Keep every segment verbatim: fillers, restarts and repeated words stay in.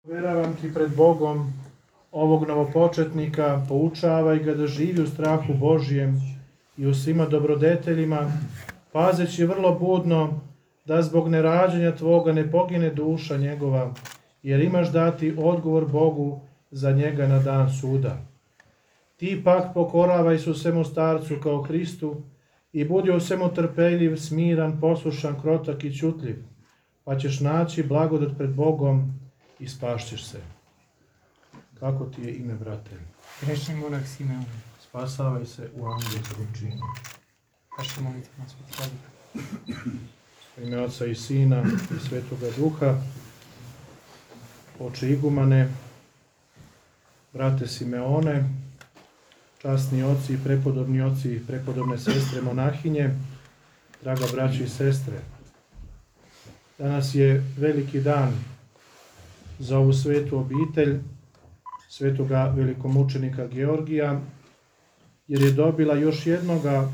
Uveravam ti pred Bogom ovog novopočetnika, poučavaj ga da živi u strahu Božjem i u svima dobrodeteljima, pazeći vrlo budno da zbog nerađanja tvoga ne pogine duša njegova, jer imaš dati odgovor Bogu za njega na dan suda. Ti pak pokoravaj se svemu starcu kao Hristu i budi u svemu trpeljiv, smiran, poslušan, krotak i ćutljiv, pa ćeš naći blagodat pred Bogom i spašćeš se. Kako ti je ime, brate? Grešni monak Simeon. Spasavaj se u angelskom činu. Vaša molitva na Sveti Vladika. U ime Oca i Sina i Svetoga Duha. Oče igumane, brate Simeone, časni oci i prepodobni oci i prepodobne sestre monahinje, draga braći i sestre. Danas je veliki dan za ovu svetu obitelj svetoga velikomučenika Georgija, jer je dobila još jednoga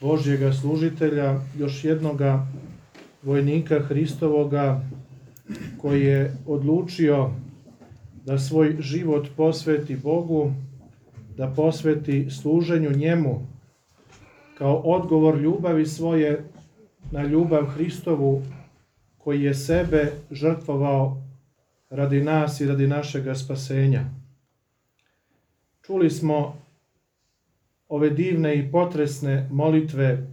Božjega služitelja, još jednoga vojnika Hristovoga koji je odlučio da svoj život posveti Bogu, da posveti služenju njemu kao odgovor ljubavi svoje na ljubav Hristovu, koji je sebe žrtvovao radi nas i radi našega spasenja. Čuli smo ove divne i potresne molitve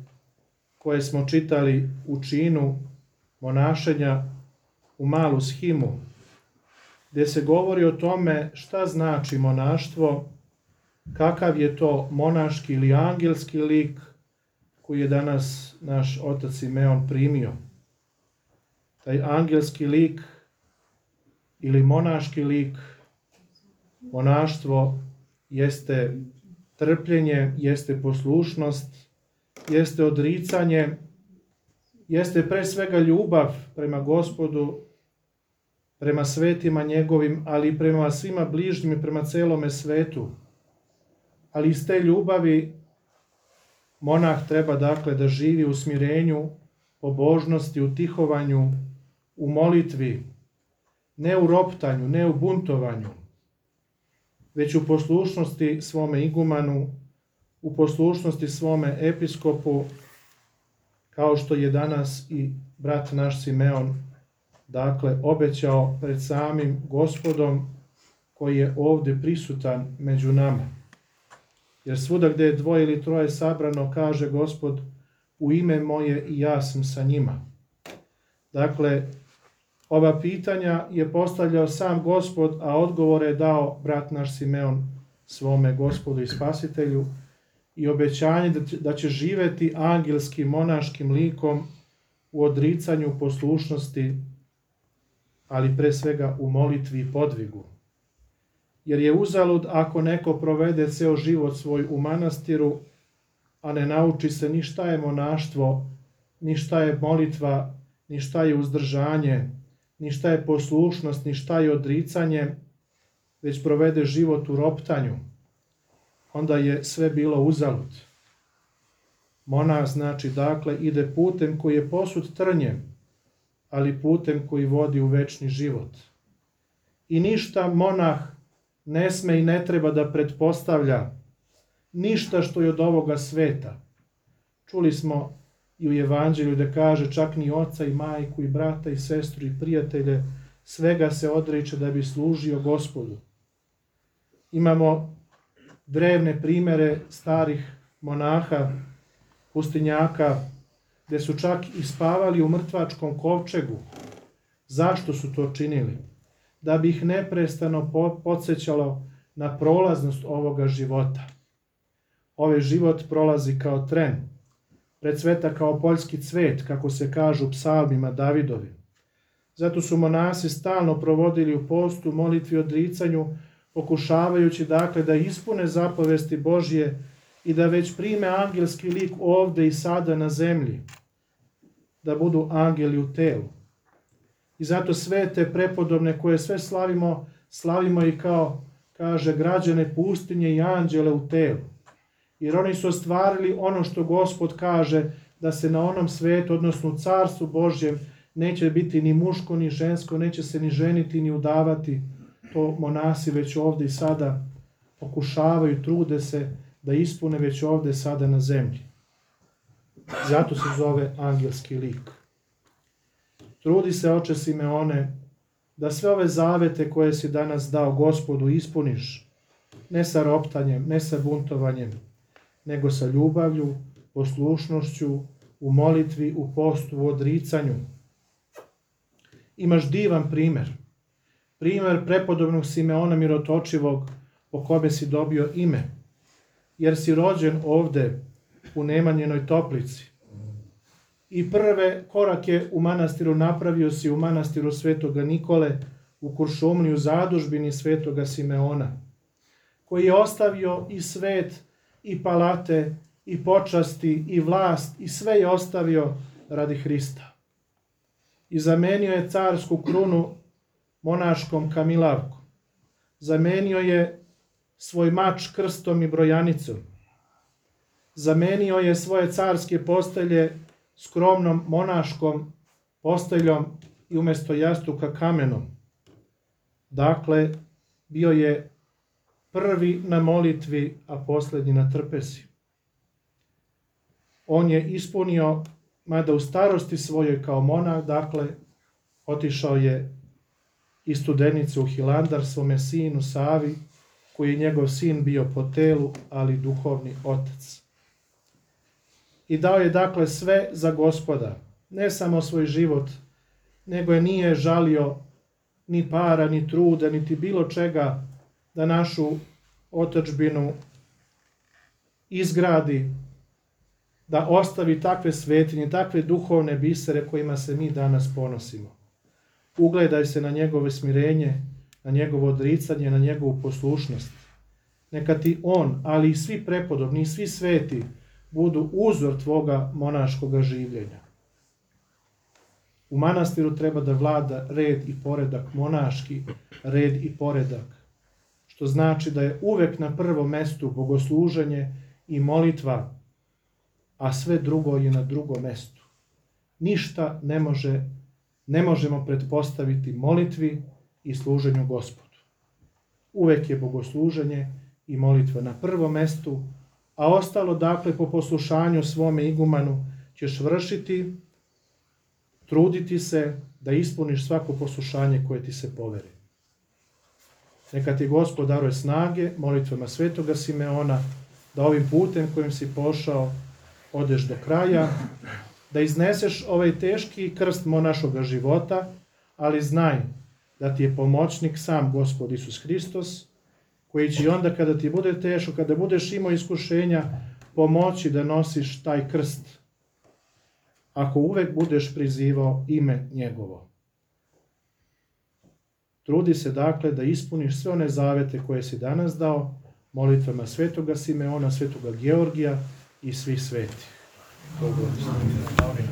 koje smo čitali u činu monašenja u malu shimu, gdje se govori o tome šta znači monaštvo, kakav je to monaški ili angelski lik koji je danas naš otac Simeon primio. Taj angelski lik ili monaški lik, monaštvo jeste trpljenje, jeste poslušnost, jeste odricanje, jeste pre svega ljubav prema Gospodu, prema svetima njegovim, ali i prema svima bližnjim i prema celome svetu. Ali iz te ljubavi monah treba dakle da živi u smirenju, pobožnosti, u tihovanju, u molitvi, ne u roptanju, ne u buntovanju, već u poslušnosti svome igumanu, u poslušnosti svome episkopu, kao što je danas i brat naš Simeon, dakle, obećao pred samim Gospodom koji je ovdje prisutan među nama. Jer svuda gdje je dvoje ili troje sabrano, kaže Gospod, u ime moje i ja sam sa njima. Dakle, ova pitanja je postavljao sam Gospod, a odgovore je dao brat naš Simeon svome Gospodu i Spasitelju i obećanje da će živjeti angelskim, monaškim likom u odricanju, poslušnosti, ali pre svega u molitvi i podvigu. Jer je uzalud ako neko provede ceo život svoj u manastiru, a ne nauči se ni šta je monaštvo, ni šta je molitva, ni šta je uzdržanje, ni šta je poslušnost, ni šta je odricanje, već provede život u roptanju, onda je sve bilo uzalud. Monah znači dakle ide putem koji je posut trnjem, ali putem koji vodi u večni život. I ništa monah ne sme i ne treba da pretpostavlja, ništa što je od ovoga sveta. Čuli smo i u Evanđelju da kaže čak ni oca i majku i brata i sestru i prijatelje, svega se odriče da bi služio Gospodu. Imamo drevne primere starih monaha, pustinjaka, gdje su čak i spavali u mrtvačkom kovčegu. Zašto su to činili? Da bi ih neprestano podsjećalo na prolaznost ovoga života. Ovaj život prolazi kao tren, precveta kao poljski cvet, kako se kažu u psalmima Davidovi. Zato su monasi stalno provodili u postu, molitvi, odricanju, pokušavajući dakle da ispune zapovesti Božje i da već prime angelski lik ovde i sada na zemlji, da budu angeli u telu. I zato sve te prepodobne koje sve slavimo, slavimo i kao, kaže, građane pustinje i anđele u telu. Jer oni su ostvarili ono što Gospod kaže da se na onom svetu, odnosno u carstvu Božjem, neće biti ni muško ni žensko, neće se ni ženiti ni udavati. To monasi već ovdje i sada pokušavaju, trude se da ispune već ovdje sada na zemlji. Zato se zove angelski lik. Trudi se, oče Simeone, da sve ove zavete koje si danas dao Gospodu ispuniš, ne sa roptanjem, ne sa buntovanjem, nego sa ljubavlju, poslušnošću, u molitvi, u postu, u odricanju. Imaš divan primjer. Primjer prepodobnog Simeona Mirotočivog, po kome si dobio ime, jer si rođen ovde u Nemanjinoj Toplici. I prve korake u manastiru napravio si u manastiru Svetoga Nikole, u Kuršumliji, u zadužbini Svetoga Simeona, koji je ostavio i svet, i palate, i počasti, i vlast, i sve je ostavio radi Hrista. I zamenio je carsku krunu monaškom kamilavkom. Zamenio je svoj mač krstom i brojanicom. Zamenio je svoje carske postelje skromnom monaškom posteljom i umjesto jastuka kamenom. Dakle, bio je prvi na molitvi, a posljednji na trpezi. On je ispunio, mada u starosti svojoj kao monah, dakle, otišao je iz Studenice u Hilandar svome sinu Savi, koji je njegov sin bio po telu, ali duhovni otac. I dao je dakle sve za Gospoda, ne samo svoj život, nego je nije žalio ni para, ni truda, niti bilo čega da našu otadžbinu izgradi, da ostavi takve svetinje, takve duhovne bisere kojima se mi danas ponosimo. Ugledaj se na njegovo smirenje, na njegovo odricanje, na njegovu poslušnost. Neka ti on, ali i svi prepodobni, i svi sveti, budu uzor tvoga monaškoga življenja. U manastiru treba da vlada red i poredak, monaški red i poredak, što znači da je uvek na prvom mestu bogosluženje i molitva, a sve drugo je na drugom mestu. Ništa ne može, ne možemo pretpostaviti molitvi i služenju Gospodu. Uvek je bogosluženje i molitva na prvom mestu, a ostalo, dakle, po poslušanju svome igumanu ćeš vršiti, truditi se da ispuniš svako poslušanje koje ti se poveri. Neka ti Gospod daruje snage molitvama Svetoga Simeona, da ovim putem kojim si pošao odeš do kraja, da izneseš ovaj teški krst monaškoga života, ali znaj da ti je pomoćnik sam Gospod Isus Hristos, koji će onda kada ti bude teško, kada budeš imao iskušenja, pomoći da nosiš taj krst, ako uvek budeš prizivao ime njegovo. Trudi se dakle da ispuniš sve one zavete koje si danas dao, molitvama Svetoga Simeona, Svetoga Georgija i svih svetih. Bog blagoslovi.